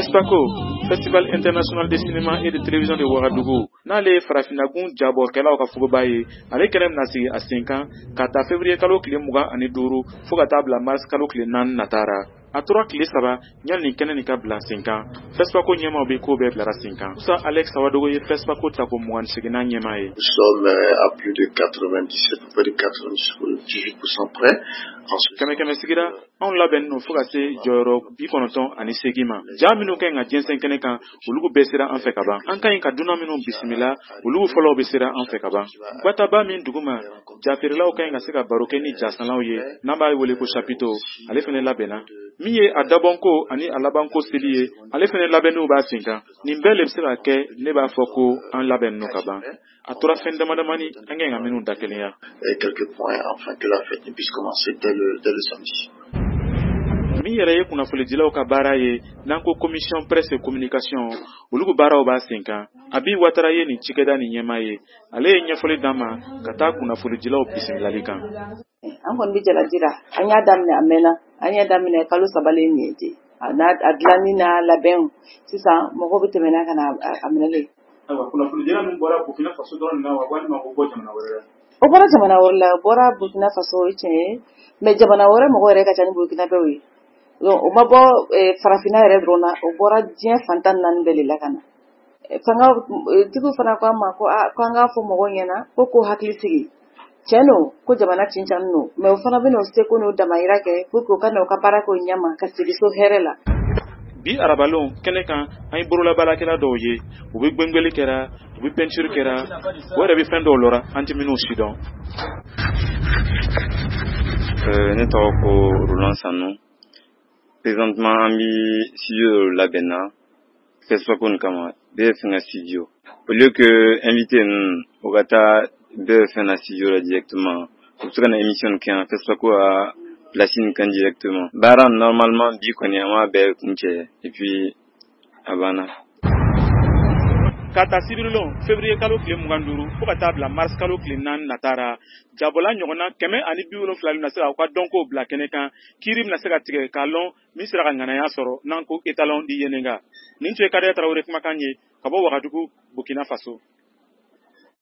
FESPACO, Festival International de Cinéma et de Télévision de Ouagadougou, n'ale ye farafinnagun jabɔkɛlaw ka fogoba ye, ale kɛnɛ bɛna sigi a sen kan ka ta février kalo tile 25 fo ka taa bila mars kalo tile 4 natara. A tora tile 3 yanni nin kɛnɛ nin ka bila sen kan. FESPACO ɲɛmaaw bɛ ko bɛɛ bilara sen kan. Musa Alex Sawadogo ye FESPACO tako 28nan ɲɛmaa ye. Nous sommes à plus de 97, près de 98% près. Kɛmɛ kɛmɛ sigira, anw labɛnnen don fo ka se jɔyɔrɔ 98 ma. Ja minnu ka ɲi ka jɛnsɛn kɛnɛ kan, olu bɛɛ sera an fɛ ka ban. An ka ɲi ka dunan minnu bisimila, olu fɔlɔw bɛ sera an fɛ ka ban. Gwataba min duguma, jafeerelaw ka ɲi ka se ka baro kɛ ni jasanlaw ye, n'an b'a wele ko chapiteau, ale fɛnɛ labɛnna. Min ye a dabɔnko ani a labanko seli ye, ale fɛnɛ labɛnniw b'a sen kan. Nin bɛɛ le bɛ se ka kɛ, ne b'a fɔ ko an labɛnnen don ka ban. A tora fɛn dama damani an ka ɲi ka minnu da kelenya. Et quelques points afin que la fête ne puisse commencer dès le samedi. Min yɛrɛ ye kunnafonidilaw ka baara ye, n'an ko commission presse et communication, olu ko baaraw b'a sen kan. Abi Watara ye nin cikɛda nin ɲɛmaa ye. Ale ye ɲɛfɔli d'an ma ka taa kunnafonidilaw bisimilali kan. An kɔni bɛ jalaji la. An y'a daminɛ, a mɛnna. An y'a daminɛ kalo 3 le nin ye ten. A n'a a dilanni n'a labɛnw, sisan mɔgɔw bɛ tɛmɛ n'a ka na a minɛlen. Ayiwa, kunnafonidila min bɔra Burkina Faso dɔrɔn na wa, walima o bɔ jamana wɛrɛ la? O bɔra jamana wɛrɛ la. O bɔra Burkina Faso, o ye tiɲɛ ye, mais jamana wɛrɛ mɔgɔ yɛrɛ ka ca ni Burkinabɛw ye. Donc o ma bɔ farafinna yɛrɛ dɔrɔn na, o bɔra diɲɛ fan 14 bɛɛ de la ka na. Fanga tigiw fana ko an ma ko aa, ko an k'a fɔ mɔgɔw ɲɛna ko k'o hakili sigi. Tiɲɛ don ko jamana cincani don, mais o fana bɛna o seko n'o damayira kɛ pour que u ka na u ka baara kɛ o ɲɛma ka segin so hɛrɛ la. Bi arabalon kɛnɛ kan, an ye bololabaarakɛla dɔw ye, u bɛ gwengweli kɛra, u bɛ peinture kɛra, o yɛrɛ bɛ fɛn dɔw lɔra an tɛ minnu si dɔn. Ne tɔgɔ ko Roland Sanu. Présentement, an bi studio dɔ labɛn na FESPACO nin kama, BFN ka studio. Au lieu que invité ninnu o ka taa BFN na studio la directement, u bɛ se ka na émission nin kɛ yan FESPACO ka place nin kan directement. Baara normalement bi kɔni, an b'a bɛɛ kuncɛ et puis a banna. Ka ta sibirilon février kalo tile 25 fo ka taa bila mars kalo tile 4 natara, jabɔla ɲɔgɔnna 170 bɛna se ka u ka dɔnkow bila kɛnɛ kan. Kiiri bɛna se ka tigɛ k'a lɔn min sera ka ŋanaya sɔrɔ, n'an ko étalon di Yenenga. Nin tun ye Kadɛ Tarawele kumakan ye ka bɔ Wagadugu, Burkina Faso.